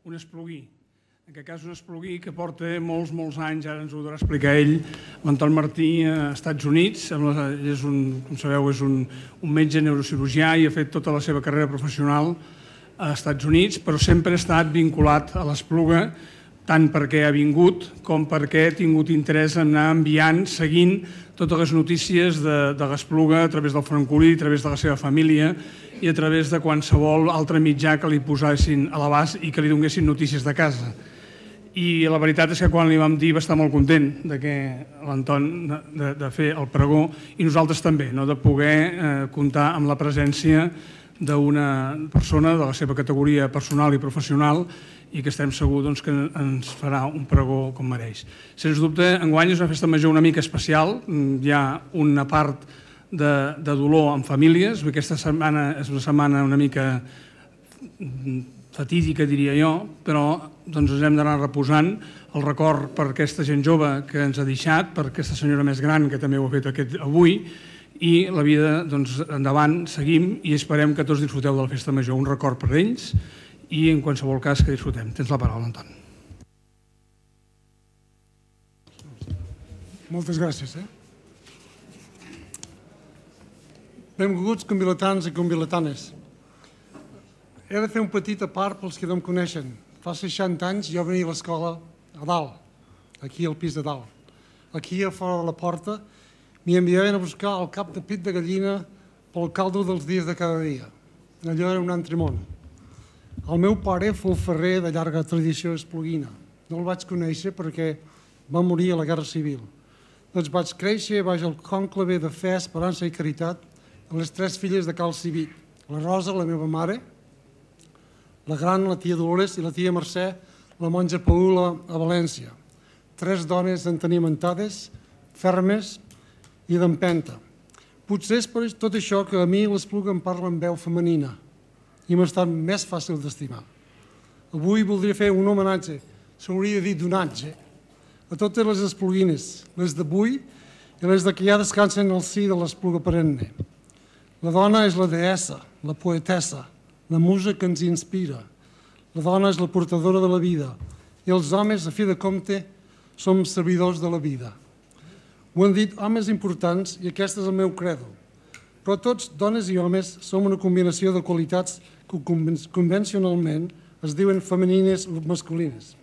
un espluguí. En aquest cas un espluguí que porta molts anys, ara ens ho podrà explicar ell, l'Anton Martí a Estats Units, és com sabeu, és un metge neurocirurgià i ha fet tota la seva carrera professional a Estats Units, però sempre ha estat vinculat a l'Espluga, tant perquè ha vingut com perquè ha tingut interès en anar enviant, seguint totes les notícies de l'Espluga a través del francolí, a través de la seva família i a través de qualsevol altre mitjà que li posessin a l'abast i que li donguessin notícies de casa. I la veritat és que quan li vam dir va estar molt content de l'Anton de fer el pregó i nosaltres també, de poder comptar amb la presència d'una persona de la seva categoria personal i professional i que estem segurs que ens farà un pregó com mereix. Sens dubte, enguany és una festa major una mica especial, hi ha una part de dolor en famílies, aquesta setmana és una setmana una mica fatídica, diria jo, però ens hem d'anar reposant el record per aquesta gent jove que ens ha deixat, per aquesta senyora més gran que també ho ha fet avui, i la vida, endavant, seguim i esperem que tots disfruteu de la festa major, un record per ells i en qualsevol cas que disfrutem. Tens la paraula, Anton. Moltes gràcies. Benvinguts convilatans i convilatanes. He de fer un petit apart pels que no em coneixen. Fa 60 anys jo venia a l'escola a dalt, aquí al pis de dalt. Aquí a fora de la porta m'hi enviaven a buscar el cap de pit de gallina pel caldo dels dies de cada dia. Allò era un altre món. El meu pare fou ferrer de llarga tradició espluguina. No el vaig conèixer perquè va morir a la Guerra Civil. Doncs vaig créixer baix el cònclave de fe, esperança i caritat amb les 3 filles de Cal Civit. La Rosa, la meva mare, la gran, la tia Dolores, i la tia Mercè, la monja Paula, a València. 3 dones entenimentades, fermes i d'empenta. Potser és per tot això que a mi l'Espluga em parla en veu femenina i m'ha estat més fàcil d'estimar. Avui voldria fer un homenatge, s'hauria de dir donatge, a totes les espluguines, les d'avui i les de que ja descansen al si de l'Espluga perenne. La dona és la deessa, la poetessa, la musa que ens inspira. La dona és la portadora de la vida i els homes, a fi de compte, som servidors de la vida. Ho han dit homes importants i aquest és el meu credo. Però tots, dones i homes, som una combinació de qualitats que convencionalment es diuen femenines o masculines.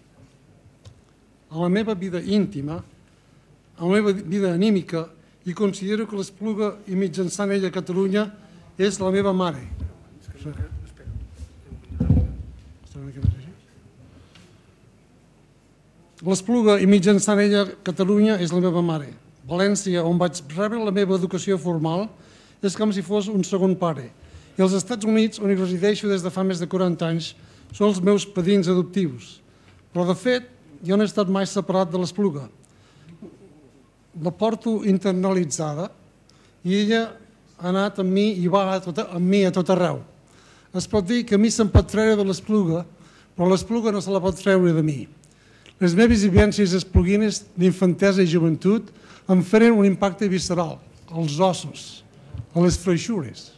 A la meva vida íntima, a la meva vida anímica, i considero que l'Espluga i mitjançant ella Catalunya és la meva mare. L'Espluga i mitjançant ella Catalunya és la meva mare. València, on vaig rebre la meva educació formal, és com si fos un segon pare. I els Estats Units, on hi resideixo des de fa més de 40 anys, són els meus padrins adoptius. Però, de fet, jo no he estat mai separat de l'Espluga. La porto internalitzada i ella ha anat amb mi i va amb mi a tot arreu. Es pot dir que a mi se'm pot treure de l'Espluga, però l'Espluga no se la pot treure de mi. Les meves vivències espluguines d'infantesa i joventut em feren un impacte visceral, als ossos, a les freixures.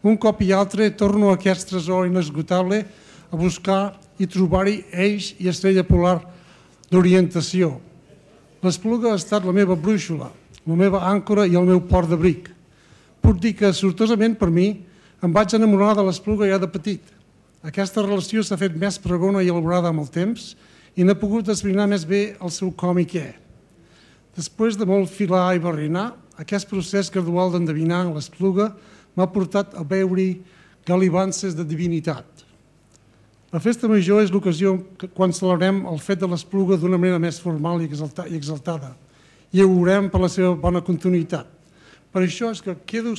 Un cop i altre torno a aquest tresor inesgotable a buscar i trobar-hi eix i estrella polar d'orientació. L'Espluga ha estat la meva brúixola, la meva àncora i el meu port d'abric. Puc dir que, sortosament per mi, em vaig enamorar de l'Espluga ja de petit. Aquesta relació s'ha fet més pregona i elaborada amb el temps i n'he pogut esbrinar més bé el seu com i què. Després de molt filar i barrinar, aquest procés gradual d'endevinar l'Espluga m'ha portat a veure-hi galivances de divinitat. La festa major és l'ocasió quan celebrem el fet de l'Espluga d'una manera més formal i exaltada i ho veurem per la seva bona continuïtat. Per això és que quedo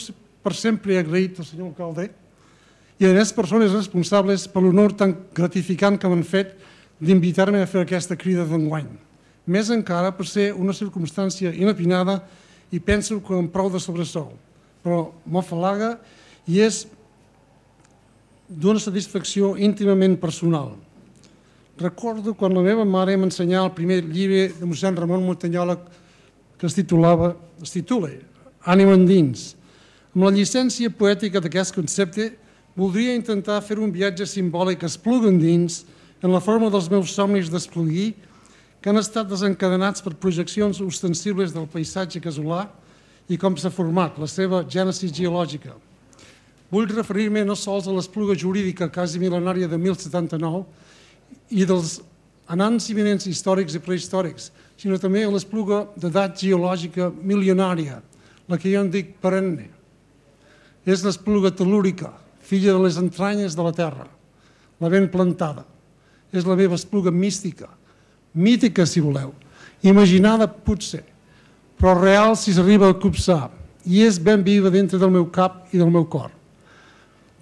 per sempre agraït al senyor alcalde i a les persones responsables per l'honor tan gratificant que m'han fet d'invitar-me a fer aquesta crida d'enguany. Més encara per ser una circumstància inopinada i penso que amb prou de sobresou, però m'afalaga i és d'una satisfacció íntimament personal. Recordo quan la meva mare m'ensenyava el primer llibre de mossèn Ramon Montanyola que es titula Ànima endins. Amb la llicència poètica d'aquest concepte voldria intentar fer un viatge simbòlic Espluga endins en la forma dels meus somnis d'Espluguí, que han estat desencadenats per projeccions ostensibles del paisatge casolà i com s'ha format la seva gènesi geològica. Vull referir-me no sols a l'Espluga jurídica quasi mil·lenària de 1079 i dels anants imminents històrics i prehistòrics, sinó també a l'Espluga d'edat geològica milionària, la que jo en dic perenne. És l'Espluga telúrica, filla de les entranyes de la terra, la ben plantada. És la meva Espluga mística, mítica si voleu, imaginada potser, però real si s'arriba a copsar, i és ben viva dintre del meu cap i del meu cor.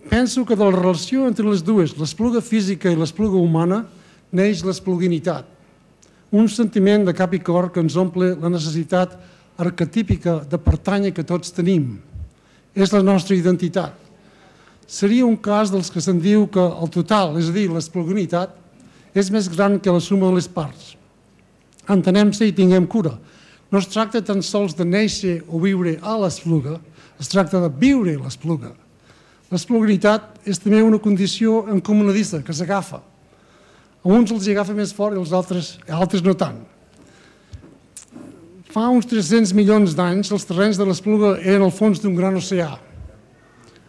Penso que de la relació entre les dues, l'Espluga física i l'Espluga humana, neix l'espluguinitat, un sentiment de cap i cor que ens omple la necessitat arquetípica de pertànyer que tots tenim. És la nostra identitat. Seria un cas dels que se'n diu que el total, és a dir, l'espluguinitat, és més gran que la suma de les parts. Entenem-se i tinguem cura. No es tracta tan sols de néixer o viure a l'Espluga, es tracta de viure a l'Espluga. L'espluguinitat és també una condició encomanadissa que s'agafa. A uns els agafa més fort i als altres no tant. Fa uns 300 milions d'anys, els terrenys de l'Espluga eren al fons d'un gran oceà.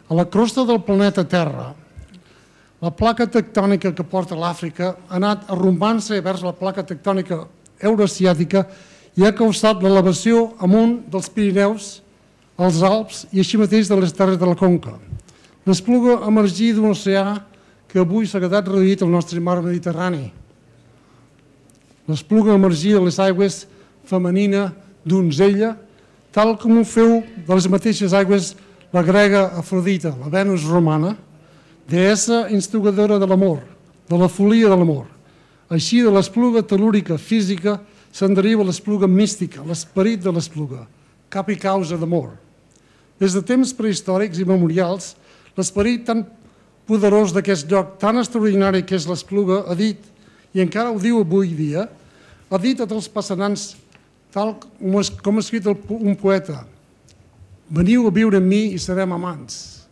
A la crosta del planeta Terra, la placa tectònica que porta l'Àfrica ha anat arrombant-se vers la placa tectònica euroasiàtica i ha causat l'elevació amunt dels Pirineus, els Alps i així mateix de les terres de la Conca. L'Espluga emergí d'un oceà que avui s'ha quedat reduït al nostre mar Mediterrani. L'Espluga emergí de les aigües femenina donzella, tal com ho feu de les mateixes aigües la grega Afrodita, la Venus romana, deessa instigadora de l'amor, de la folia de l'amor. Així, de l'Espluga telúrica física se'n deriva l'Espluga mística, l'esperit de l'Espluga, cap i causa d'amor. Des de temps prehistòrics i memorials, l'esperit tan poderós d'aquest lloc tan extraordinari que és l'Espluga ha dit, i encara ho diu avui dia, ha dit a tots passanants, tal com ha escrit un poeta, veniu a viure amb mi i serem amants.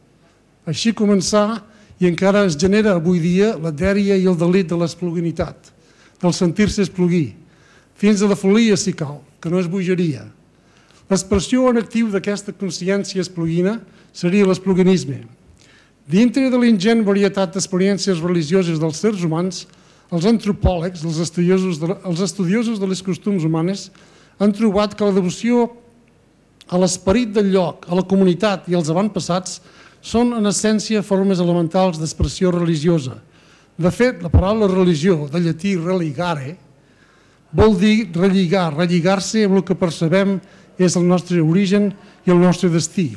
Així començà i encara es genera avui dia la dèria i el delit de l'espluguinitat, del sentir-se espluguí, fins a la folia si cal, que no és bogeria. L'expressió en actiu d'aquesta consciència espluguina seria l'espluguinisme. Dintre de l'ingent varietat d'experiències religioses dels sers humans, els antropòlegs, els estudiosos de les costums humanes, han trobat que la devoció a l'esperit del lloc, a la comunitat i als avantpassats són en essència formes elementals d'expressió religiosa. De fet, la paraula religió, de llatí religare, vol dir relligar, relligar-se amb el que percebem és el nostre origen i el nostre destí.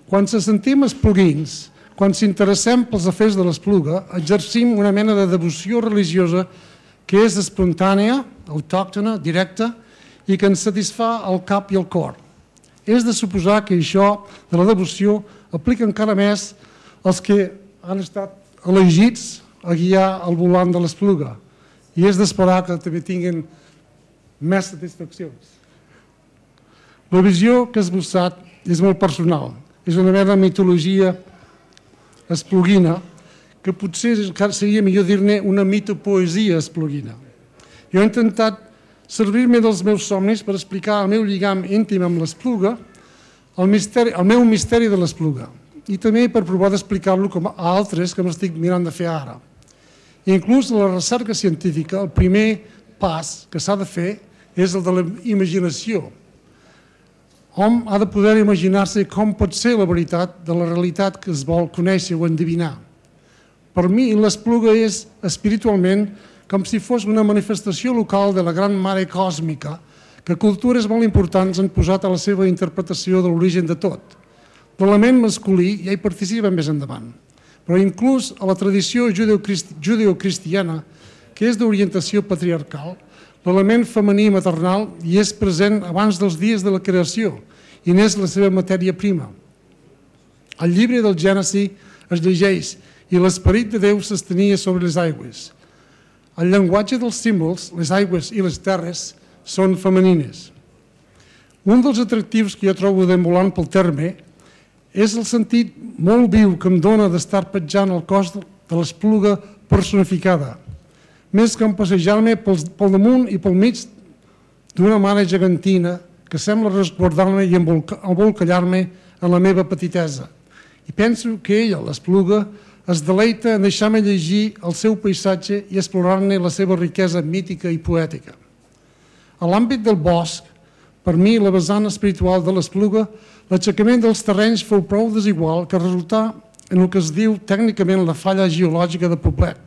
Quan se sentim espluguins, quan s'interessem pels afers de l'Espluga, exercim una mena de devoció religiosa que és espontània, autòctona, directa i que ens satisfà el cap i el cor. És de suposar que això de la devoció aplica encara més als que han estat elegits a guiar el volant de l'Espluga i és d'esperar que també tinguin més satisfaccions. La visió que has esbossat és molt personal, és una mena de mitologia espluguina, que potser seria millor dir-ne una mitopoesia espluguina. Jo he intentat servir-me dels meus somnis per explicar el meu lligam íntim amb l'Espluga, el meu misteri de l'Espluga, i també per provar d'explicar-lo a altres que m'estic mirant de fer ara. Inclús en la recerca científica, el primer pas que s'ha de fer és el de la imaginació. Hom ha de poder imaginar-se com pot ser la veritat de la realitat que es vol conèixer o endevinar. Per mi, l'Espluga és espiritualment com si fos una manifestació local de la gran mare còsmica que cultures molt importants han posat a la seva interpretació de l'origen de tot. L'element masculí ja hi participa més endavant, però inclús a la tradició judeocristiana, que és d'orientació patriarcal, l'element femení maternal hi és present abans dels dies de la creació i n'és la seva matèria prima. Al llibre del Gènesi es llegeix i l'esperit de Déu s'estenia sobre les aigües. El llenguatge dels símbols, les aigües i les terres, són femenines. Un dels atractius que jo trobo deambulant pel terme és el sentit molt viu que em dona d'estar petjant el cos de l'Espluga personificada. més que passejar-me pel damunt i pel mig d'una mare gegantina que sembla resguardar-me i embolcallar-me en la meva petitesa. I penso que ella, l'Espluga, es deleita en deixar-me llegir el seu paisatge i explorar-ne la seva riquesa mítica i poètica. A l'àmbit del bosc, per mi, la vessant espiritual de l'Espluga, l'aixecament dels terrenys fou prou desigual que resultà en el que es diu tècnicament la falla geològica de Poblet,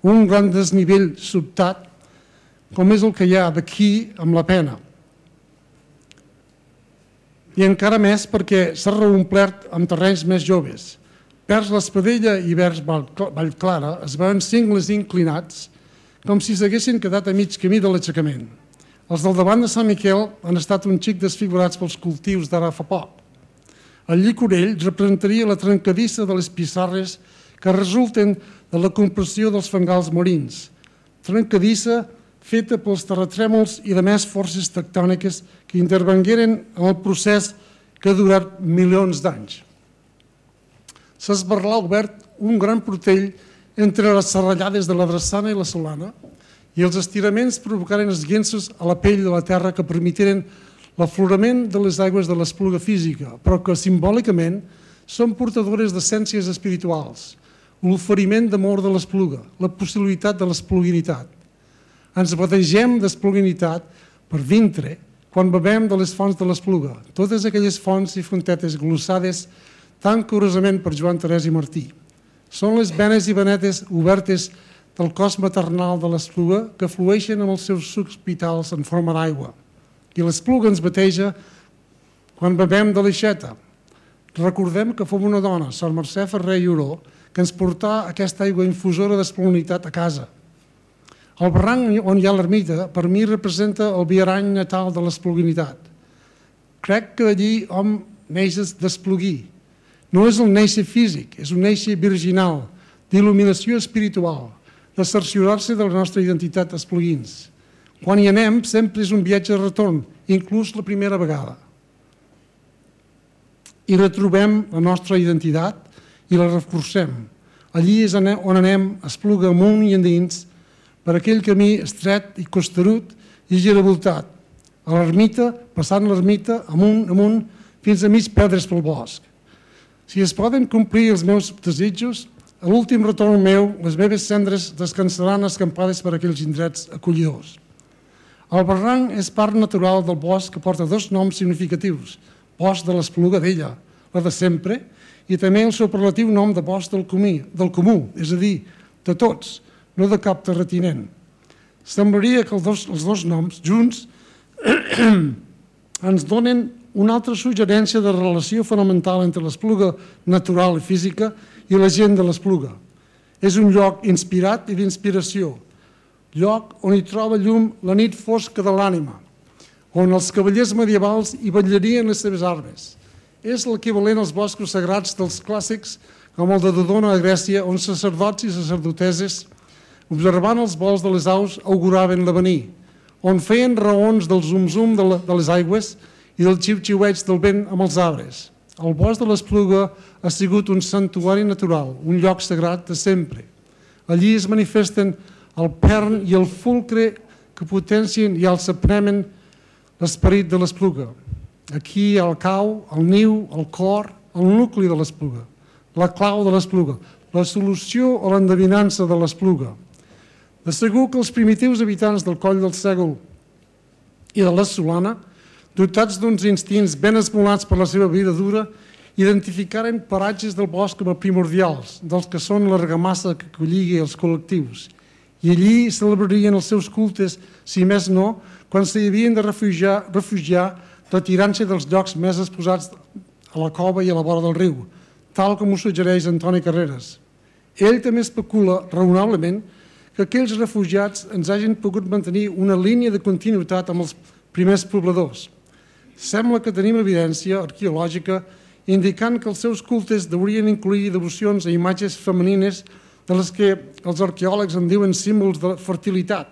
un gran desnivell sobtat, com és el que hi ha d'aquí amb la Pena. I encara més perquè s'ha reomplert amb terrenys més joves. Vers l'Espadella i vers Vallclara es veuen cingles inclinats com si s'haguessin quedat a mig camí de l'aixecament. Els del davant de Sant Miquel han estat un xic desfigurats pels cultius d'ara fa poc. El Llicorell representaria la trencadissa de les pissarres que resulten de la compressió dels fangals marins, trencadissa feta pels terratrèmols i de més forces tectòniques que intervengueren en el procés que ha durat milions d'anys. S'ha esbarlat un gran portell entre les serrallades de la Drassana i la Solana i els estiraments provocaren esguences a la pell de la terra que permetiren l'aflorament de les aigües de l'Espluga física, però que simbòlicament són portadores d'essències espirituals, l'oferiment d'amor de l'Espluga, la possibilitat de l'espluguinitat. Ens bategem d'espluguinitat per dintre quan bevem de les fonts de l'Espluga, totes aquelles fonts i fontetes glossades tan curosament per Joan Terès i Martí. Són les venes i venetes obertes del cos maternal de l'Espluga que flueixen amb els seus sucs vitals en forma d'aigua. I l'Espluga ens bateja quan bevem de l'aixeta. Recordem que fou una dona, Sor Mercè Ferrer i Oró, que ens portà aquesta aigua infusora d'espluguinitat a casa. El barranc on hi ha l'ermita, per mi, representa el viarany natal de l'espluguinitat. Crec que d'allí hom neix d'espluguir. No és el néixer físic, és un néixer virginal, d'il·luminació espiritual, de cerciorar-se de la nostra identitat espluguins. Quan hi anem, sempre és un viatge de retorn, inclús la primera vegada. I retrobem la nostra identitat i la reforcem. Allí és on anem, Espluga amunt i endins, per aquell camí estret i costerut i giravoltat, a l'ermita, passant l'ermita, amunt, fins a mig perdre's pel bosc. Si es poden complir els meus desitjos, a l'últim retorn meu, les meves cendres descansaran escampades per aquells indrets acollidors. El barranc és part natural del bosc que porta dos noms significatius, bosc de l'Espluga d'ella, la de sempre, i també el superlatiu nom de bosc del comú, és a dir, de tots, no de cap terratinent. Semblaria que els dos noms, junts, ens donen una altra suggerència de relació fonamental entre l'Espluga natural i física i la gent de l'Espluga. És un lloc inspirat i d'inspiració, lloc on hi troba llum la nit fosca de l'ànima, on els cavallers medievals hi vetllarien les seves armes. És l'equivalent als boscos sagrats dels clàssics, com el de Dodona a Grècia, on sacerdots i sacerdoteses, observant els vols de les aus, auguraven l'avenir, on feien raons del zum-zum de les aigües i del xiu-xiueig del vent amb els arbres. El bosc de l'Espluga ha sigut un santuari natural, un lloc sagrat de sempre. Allí es manifesten el pern i el fulcre que potencien i els apremen l'esperit de l'Espluga. Aquí hi ha el cau, el niu, el cor, el nucli de l'Espluga, la clau de l'Espluga, la solució o l'endevinança de l'Espluga. De segur que els primitius habitants del Coll del Sègol i de la Solana, dotats d'uns instints ben esmolats per la seva vida dura, identificaren paratges del bosc com a primordials, dels que són l'argamassa que colligui els col·lectius. I allí celebrarien els seus cultes, si més no, quan s'hi havien de refugiar retirant-se dels llocs més exposats a la cova i a la vora del riu, tal com ho suggereix Antoni Carreras. Ell també especula, raonablement, que aquells refugiats ens hagin pogut mantenir una línia de continuïtat amb els primers pobladors. Sembla que tenim evidència arqueològica indicant que els seus cultes deurien incloure devocions a imatges femenines de les que els arqueòlegs en diuen símbols de fertilitat.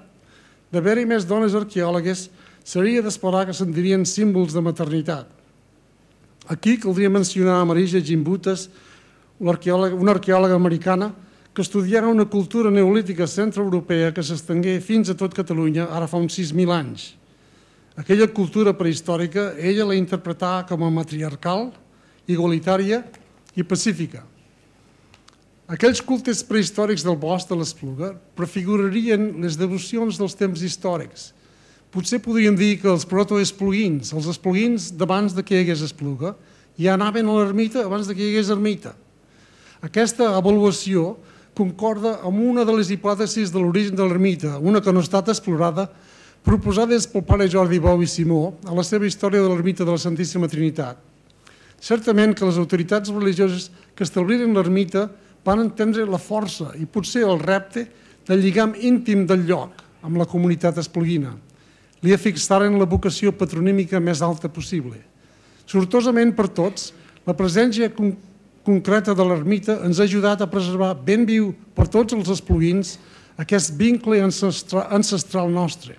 D'haver-hi més dones arqueòlogues, seria d'esperar que se'n dirien símbols de maternitat. Aquí caldria mencionar a Marija Gimbutas, una arqueòloga americana que estudiarà una cultura neolítica centroeuropea que s'estengué fins a tot Catalunya ara fa uns 6.000 anys. Aquella cultura prehistòrica ella la interpretà com a matriarcal, igualitària i pacífica. Aquells cultes prehistòrics del bosc de l'Espluga prefigurarien les devocions dels temps històrics. Potser podríem dir que els protoespluguins, els espluguins d'abans que hi hagués Espluga, ja anaven a l'ermita abans que hi hagués ermita. Aquesta avaluació concorda amb una de les hipòtesis de l'origen de l'ermita, una que no ha estat explorada, proposades pel pare Jordi Bou i Simó a la seva història de l'ermita de la Santíssima Trinitat. Certament que les autoritats religioses que establiren l'ermita van entendre la força i potser el repte del lligam íntim del lloc amb la comunitat espluguina. Li afixaren la vocació patronímica més alta possible. Sortosament per tots, la presència concreta de l'ermita ens ha ajudat a preservar ben viu per tots els espluguins aquest vincle ancestral nostre.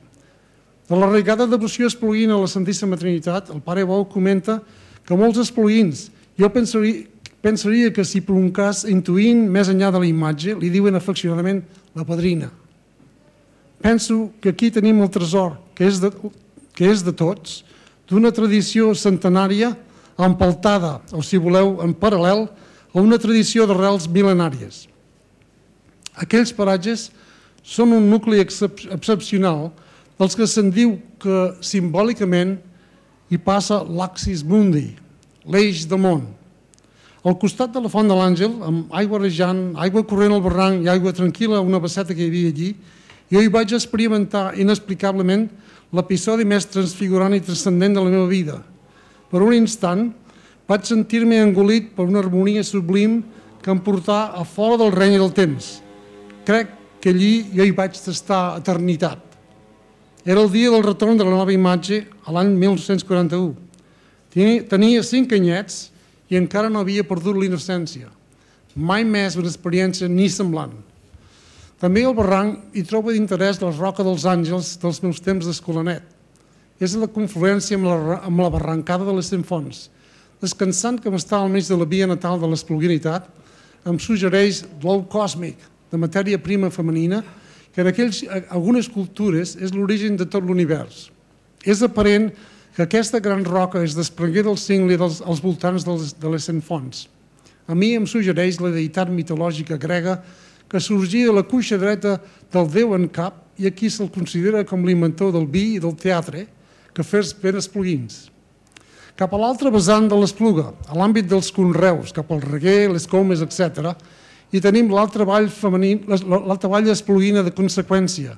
De l'arraigada devoció espluguina a la Santíssima Trinitat, el pare Bou comenta que molts espluguins, jo pensaria que si per un cas intuint més enllà de la imatge, li diuen afeccionadament la padrina. Penso que aquí tenim el tresor, que és de tots, d'una tradició centenària empaltada, o si voleu, en paral·lel a una tradició d'arrels mil·lenàries. Aquells paratges són un nucli excepcional dels que se'n diu que simbòlicament hi passa l'Axis Mundi, l'eix del món. Al costat de la Font de l'Àngel, amb aigua rejant, aigua corrent al barranc i aigua tranquil·la a una basseta que hi havia allí, jo hi vaig experimentar inexplicablement l'episodi més transfigurant i transcendent de la meva vida. Per un instant vaig sentir-me engolit per una harmonia sublim que em portà a fora del reny del temps. Crec que allí jo hi vaig tastar eternitat. Era el dia del retorn de la nova imatge a l'any 1941. Tenia 5 anyets i encara no havia perdut l'innocència. Mai més una experiència ni semblant. També al barranc hi trobo d'interès la Roca dels Àngels dels meus temps d'escolanet. És la confluència amb la barrancada de les Centfonts. Descansant que m'està al mig de la via natal de l'espluguinitat, em suggereix l'ou còsmic de matèria prima femenina que en algunes cultures és l'origen de tot l'univers. És aparent que aquesta gran roca es desprengué del cingle als voltants de les Centfonts. A mi em suggereix la deïtat mitològica grega que sorgia de la cuixa dreta del déu en cap i aquí se'l considera com l'inventor del vi i del teatre, que fes ben espluguins. Cap a l'altre vessant de l'Espluga, a l'àmbit dels conreus, cap al Reguer, les Comes, etc., i tenim l'altra vall espluguina de conseqüència.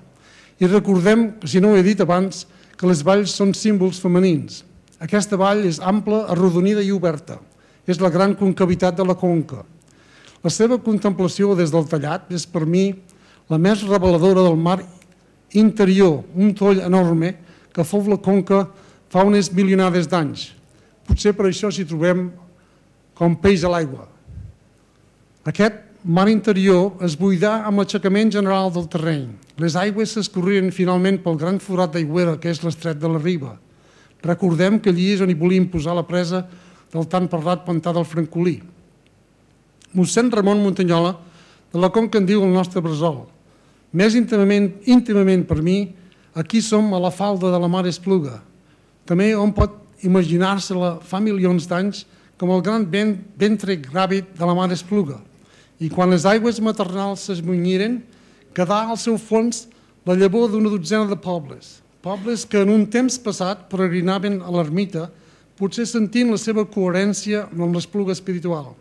I recordem, si no ho he dit abans, que les valls són símbols femenins. Aquesta vall és ampla, arrodonida i oberta. És la gran concavitat de la conca. La seva contemplació des del tallat és per mi la més reveladora del mar interior, un toll enorme que fou la conca fa unes milionades d'anys. Potser per això s'hi trobem com peix a l'aigua. Aquest mar interior es buidà amb l'aixecament general del terreny. Les aigües s'escorrien finalment pel gran forat d'aigüera que és l'estret de la Riba. Recordem que allí és on hi volien posar la presa del tan parlat pantà del Francolí. Mossèn Ramon Montanyola, de la conca en diu el nostre bressol. Més íntimament per mi, aquí som a la falda de la mar Espluga. També hom pot imaginar-se-la fa milions d'anys com el gran ventre gràvid de la mar Espluga. I quan les aigües maternals s'esmunyiren, quedà al seu fons la llavor d'una dotzena de pobles. Pobles que en un temps passat peregrinaven a l'ermita, potser sentint la seva coherència amb l'Espluga espiritual.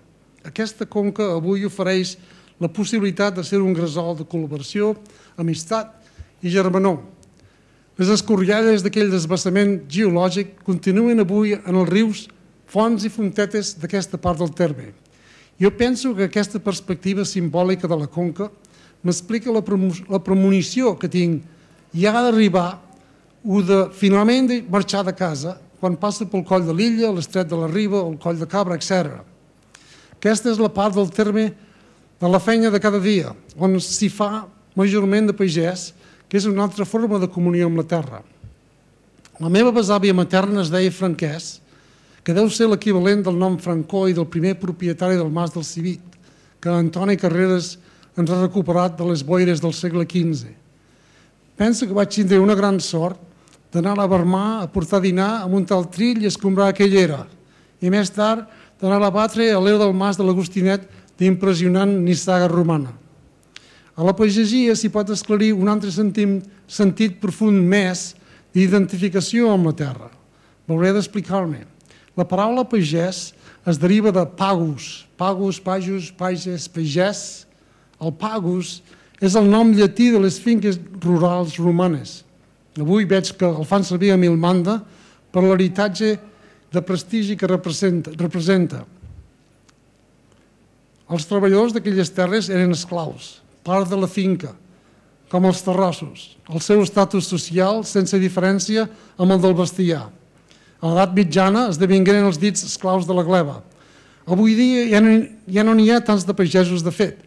Aquesta conca avui ofereix la possibilitat de ser un gresol de col·laboració, amistat i germanor. Les escorrialles d'aquell desbassament geològic continuen avui en els rius, fonts i fontetes d'aquesta part del terme. Jo penso que aquesta perspectiva simbòlica de la conca m'explica la premonició que tinc i ha d'arribar o de finalment marxar de casa quan passa pel coll de l'Illa, l'estret de la Riba o el coll de Cabra, etc. Aquesta és la part del terme de la feina de cada dia, on s'hi fa majorment de pagès, que és una altra forma de comunió amb la terra. La meva besàvia materna es deia Franquès, que deu ser l'equivalent del nom Francó i del primer propietari del Mas del Civit, que Antoni Carreras ens ha recuperat de les boires del segle XV. Penso que vaig tindre una gran sort d'anar a Vermà a portar dinar a muntar el trill i escombrar aquella era, i més tard d'anar a batre a l'era del mas de l'Agostinet d'impressionant nissaga romana. A la pagesia s'hi pot esclarir un altre sentit profund més d'identificació amb la terra. M'hauré d'explicar-me. La paraula pagès es deriva de pagus, pagus, pajus, pages, pagès. El pagus és el nom llatí de les finques rurals romanes. Avui veig que el fan servir a Milmanda per l'heritatge de prestigi que representa. Els treballadors d'aquelles terres eren esclaus, part de la finca, com els terrossos. El seu estatus social sense diferència amb el del bestiar. A l'edat mitjana esdevingueren els dits esclaus de la gleva. Avui dia ja no n'hi ha tants de pagesos de fet,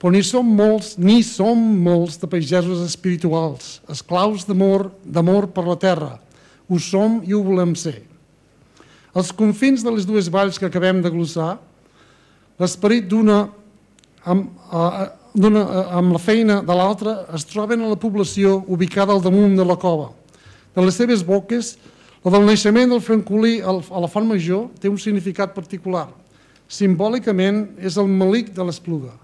però ni som molts de pagesos espirituals, esclaus d'amor per la terra. Ho som i ho volem ser. Als confins de les dues valls que acabem de glossar, l'esperit d'una amb la feina de l'altra es troben a la població ubicada al damunt de la cova. De les seves boques, la del naixement del francolí a la Font Major té un significat particular. Simbòlicament és el melic de l'Espluga,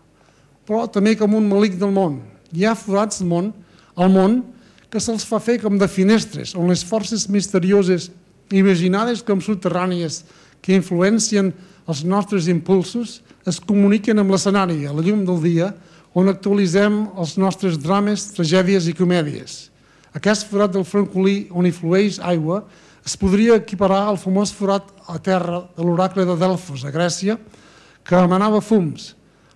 però també com un melic del món. Hi ha forats al món que se'ls fa fer com de finestres, on les forces misterioses imaginades com subterrànies que influencien els nostres impulsos es comuniquen amb l'escenari a la llum del dia on actualitzem els nostres drames, tragèdies i comèdies. Aquest forat del francolí on hi flueix aigua es podria equiparar al famós forat a terra de l'oracle de Delfos, a Grècia, que emanava fums.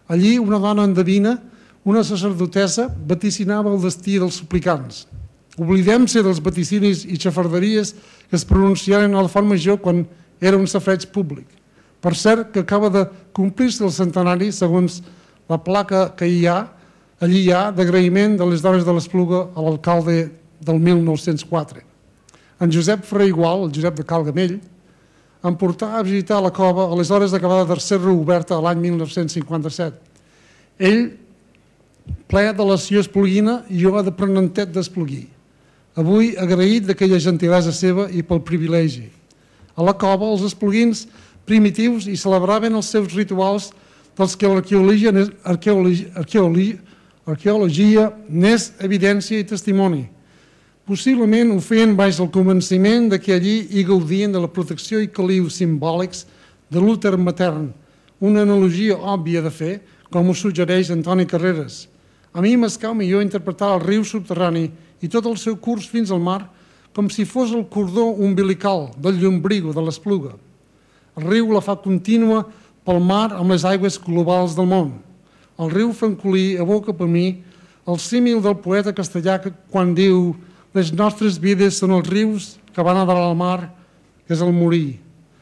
Allí una dona endevina, una sacerdotessa, vaticinava el destí dels suplicants. Oblidem-se dels vaticinis i xafarderies que es pronunciaren a la Font Major quan era un safreig públic. Per cert, que acaba de complir-se el centenari, segons la placa que allí hi ha d'agraïment de les dones de l'Espluga a l'alcalde del 1904. En Josep Ferrer Igual, el Josep de Calgamell, em portà a visitar la cova a les hores d'acabada de ser reoberta l'any 1957. Ell, ple de l'acció espluguina, i jo d'aprenentet d'espluguí. Avui agraït d'aquella gentilesa seva i pel privilegi. A la cova, els espluguins primitius hi celebraven els seus rituals dels que l'arqueologia n'és evidència i testimoni. Possiblement ho feien baix el convenciment que allí hi gaudien de la protecció i caliu simbòlics de l'úter matern, una analogia òbvia de fer, com ho suggereix Antoni Carreras. A mi m'escau millor interpretar el riu subterrani i tot el seu curs fins al mar com si fos el cordó umbilical del Llombrigo de l'Espluga. El riu la fa contínua pel mar amb les aigües globals del món. El riu francolí evoca per mi el símil del poeta castellà quan diu «Les nostres vides són els rius que van a dalt al mar, que és el morir».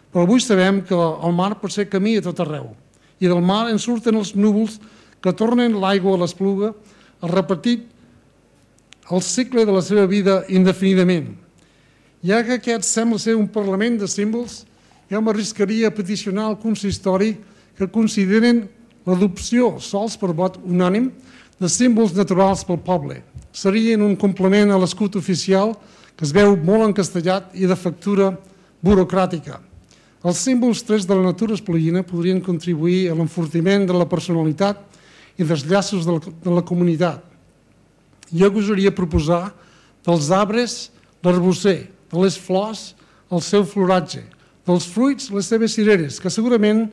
Però avui sabem que el mar pot ser camí a tot arreu i del mar en surten els núvols que tornen l'aigua a l'Espluga a repetir el cicle de la seva vida indefinidament. Ja que aquest sembla ser un parlament de símbols, jo m'arriscaria a peticionar al consistori que consideren l'adopció, sols per vot unànim, de símbols naturals pel poble. Serien un complement a l'escut oficial que es veu molt encastellat i de factura burocràtica. Els símbols trets de la natura espluguina podrien contribuir a l'enfortiment de la personalitat i dels llaços de la comunitat. Jo gosaria proposar dels arbres l'arbusser, de les flors el seu floratge, dels fruits les seves cireres, que segurament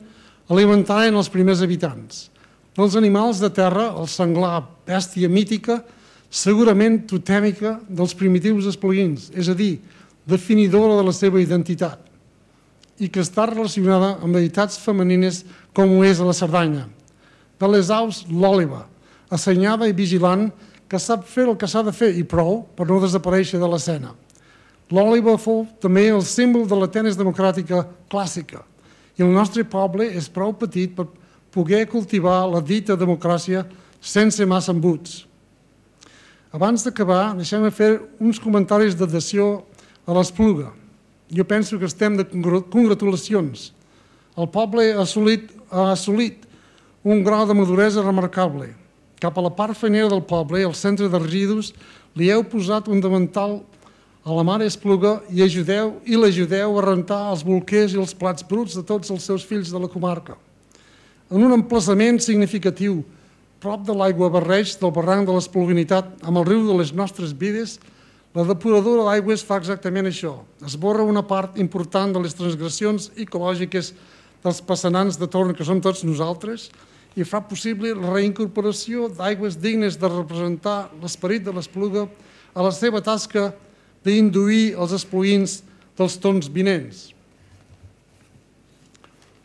alimentaven els primers habitants. Dels animals de terra, el senglar, bèstia mítica, segurament totèmica dels primitius espluguins, és a dir, definidora de la seva identitat, i que està relacionada amb deïtats femenines com ho és a la Cerdanya. De les aus, l'òliba, assenyada i vigilant, que sap fer el que s'ha de fer i prou per no desaparèixer de l'escena. L'òliba fou també el símbol de l'Atenes democràtica clàssica i el nostre poble és prou petit per poder cultivar la dita democràcia sense massa embuts. Abans d'acabar, deixem-me fer uns comentaris d'adhesió a l'Espluga. Jo penso que estem de congratulacions. El poble ha assolit un grau de maduresa remarcable. cap a la part fenera del poble, al centre de residus, li heu posat un davantal a la mare Espluga i l'ajudeu a rentar els bolquers i els plats bruts de tots els seus fills de la comarca. En un emplaçament significatiu, prop de l'aigua barreig del barranc de l'Espluguinitat amb el riu de les nostres vides, la depuradora d'aigües fa exactament això. Esborra una part important de les transgressions ecològiques dels passanants de torn, que som tots nosaltres, i fa possible la reincorporació d'aigües dignes de representar l'esperit de l'Espluga a la seva tasca d'induir els espluguins dels tons vinents.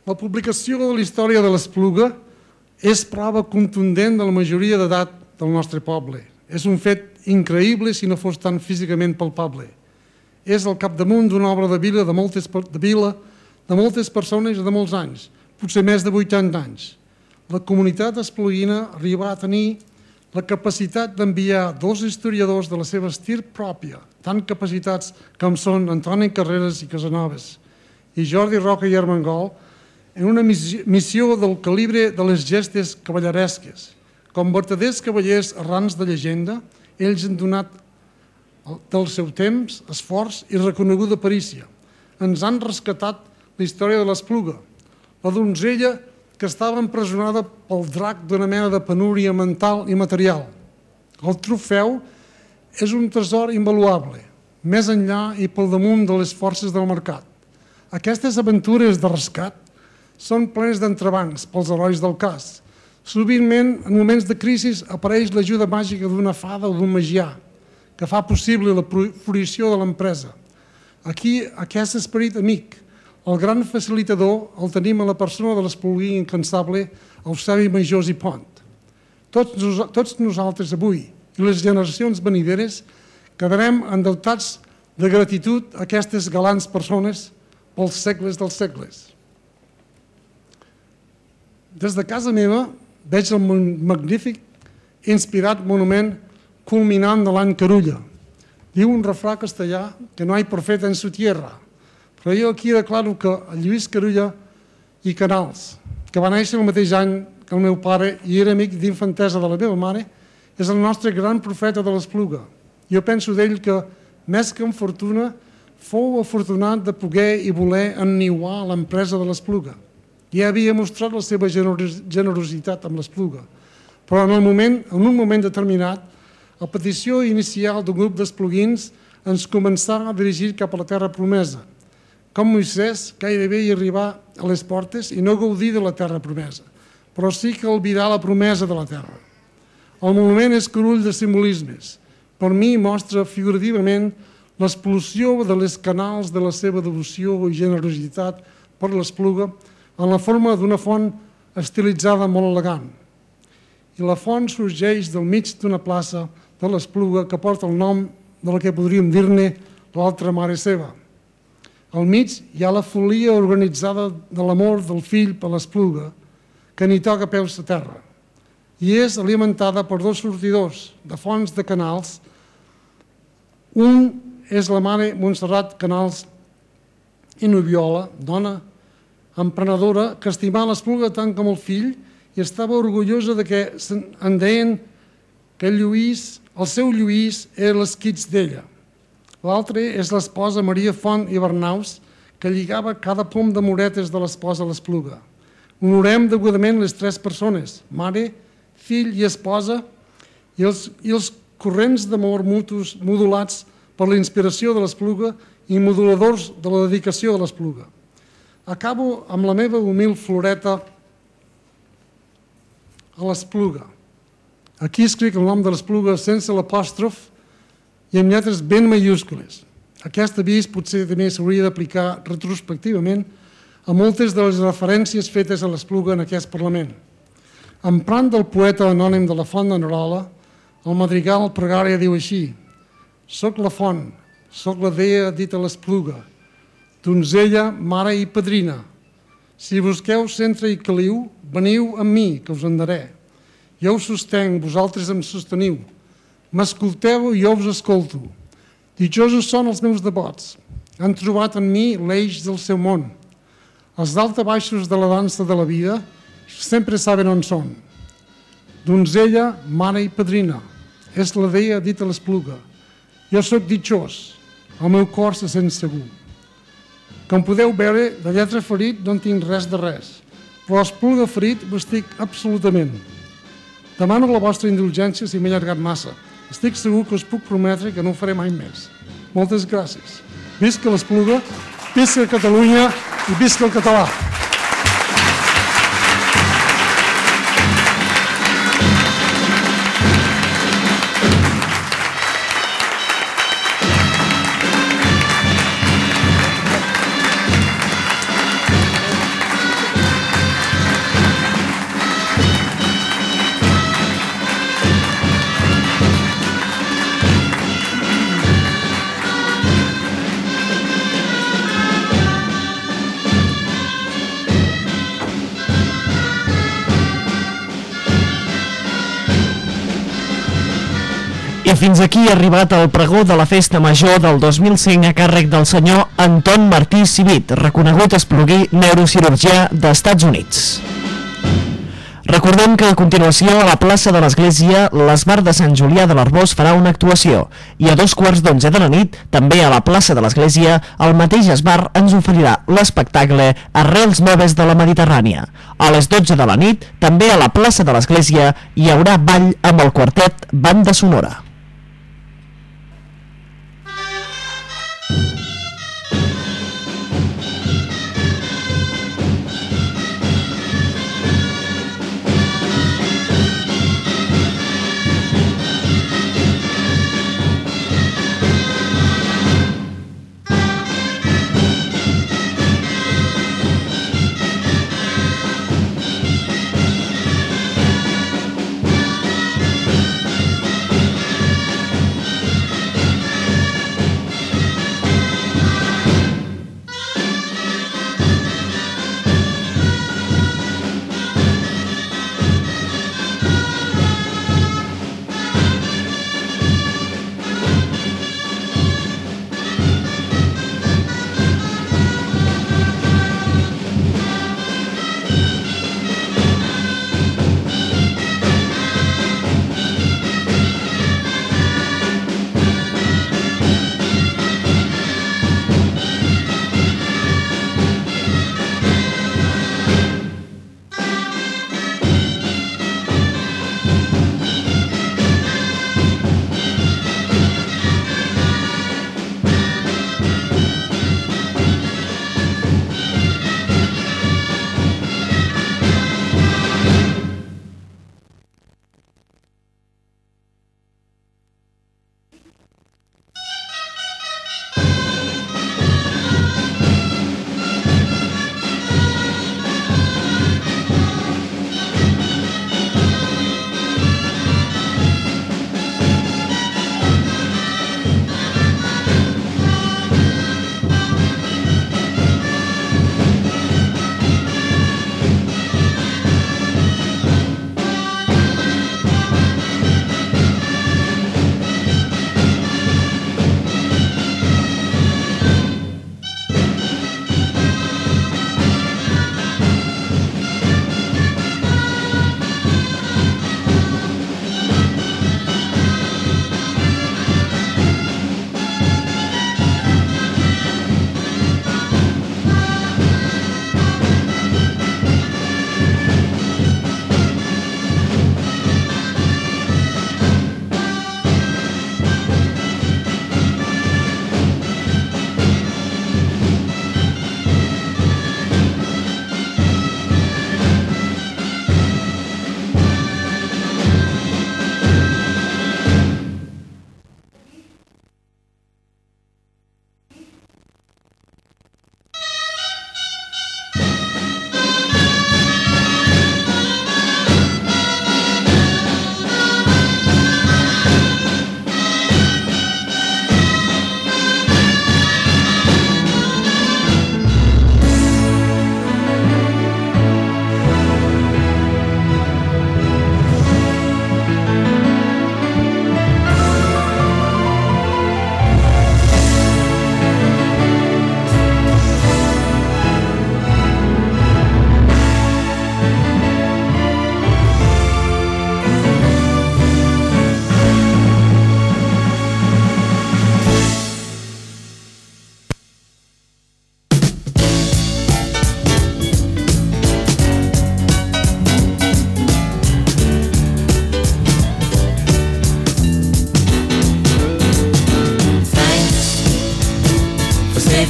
La publicació de la història de l'Espluga és prova contundent de la majoria d'edat del nostre poble. És un fet increïble si no fos tan físicament palpable. És al capdamunt d'una obra de vida de moltes persones i de molts anys, potser més de 80 anys. La comunitat espluguina arriba a tenir la capacitat d'enviar dos historiadors de la seva estirp pròpia, tan capacitats com són Antoni Carreras i Casanovas i Jordi Roca i Armengol, en una missió del calibre de les gestes cavalleresques. Com vertaders cavallers arrans de llegenda, ells han donat del seu temps, esforç i reconeguda perícia. Ens han rescatat la història de l'Espluga, la donzella que estava empresonada pel drac d'una mena de penúria mental i material. El trofeu és un tresor invaluable, més enllà i pel damunt de les forces del mercat. Aquestes aventures de rescat són plenes d'entrebancs pels herois del cas. Sovintment, en moments de crisi, apareix l'ajuda màgica d'una fada o d'un magià, que fa possible la fruició de l'empresa. Aquí, aquest esperit amic, el gran facilitador, el tenim a la persona de l'espluguí incansable, Eusebi Majós i Pont. Tots nosaltres avui i les generacions venideres quedarem endeutats de gratitud a aquestes galants persones pels segles dels segles. Des de casa meva veig el magnífic i inspirat monument culminant de l'any Carulla. Diu un refrà castellà que no hay profeta en su tierra, però jo aquí declaro que el Lluís Carulla i Canals, que va néixer el mateix any que el meu pare i era amic d'infantesa de la meva mare, és el nostre gran profeta de l'Espluga. Jo penso d'ell que, més que en fortuna, fou afortunat de poder i voler enniuar l'empresa de l'Espluga. Ja havia mostrat la seva generositat amb l'Espluga, però en un moment determinat, a petició inicial d'un grup d'espluguins ens començà a dirigir cap a la terra promesa. Com Moisès, gairebé hi arribar a les portes i no gaudir de la terra promesa, però sí que albirar la promesa de la terra. El monument és carull de simbolismes. Per mi mostra figurativament l'explosió de les canals de la seva devoció i generositat per l'Espluga en la forma d'una font estilitzada molt elegant. I la font sorgeix del mig d'una plaça de l'Espluga que porta el nom de la que podríem dir-ne l'altra mare seva. Al mig hi ha la folia organitzada de l'amor del fill per l'Espluga, que ni toca peus a terra, i és alimentada per dos sortidors de fonts de canals. Un és la mare Montserrat Canals i Nubiola, dona emprenedora que estimava l'Espluga tant com el fill i estava orgullosa de que en deien que el seu Lluís era l'esquitx d'ella. L'altre és l'esposa Maria Font i Bernaus, que lligava cada pom de moretes de l'esposa a l'Espluga. Honorem degudament les tres persones, mare, fill i esposa, i els corrents d'amor mutus modulats per la inspiració de l'Espluga i moduladors de la dedicació de l'Espluga. Acabo amb la meva humil floreta a l'Espluga. Aquí escric el nom de l'Espluga sense l'apòstrof i amb lletres ben majúscules. Aquest avís potser també s'hauria d'aplicar retrospectivament a moltes de les referències fetes a l'Espluga en aquest Parlament. Emprant del poeta anònim de la Font de Nerola, el madrigal Pregària diu així: «Soc la font, soc la dea dita a l'Espluga, donzella, mare i padrina. Si busqueu centre i caliu, veniu amb mi, que us en daré. Jo us sostenc, vosaltres em sosteniu. M'escolteu i jo us escolto. Dichosos són els meus devots. Han trobat en mi l'eix del seu món. Els daltabaixos de la dansa de la vida sempre saben on són. donzella, mare i padrina. És la deia dit a l'Espluga. Jo sóc ditxós, el meu cor se sent segur. Com podeu veure, de lletra ferit no en tinc res de res, però l'Espluga ferit ho estic absolutament. Demano la vostra indulgència si m'he allargat massa. Estic segur que us puc prometre que no ho faré mai més. Moltes gràcies. Visca l'Espluga, visca Catalunya i visca el català. I fins aquí ha arribat el pregó de la Festa Major del 2005 a càrrec del senyor Anton Martí Civit, reconegut espluguí neurocirurgià d'Estats Units. Recordem que a continuació a la plaça de l'Església l'Esbar de Sant Julià de l'Arbós farà una actuació i a 11:15 de la nit, també a la plaça de l'Església, el mateix Esbar ens oferirà l'espectacle Arrels Noves de la Mediterrània. A les 12 de la nit, també a la plaça de l'Església, hi haurà ball amb el quartet Banda Sonora.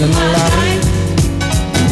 de no la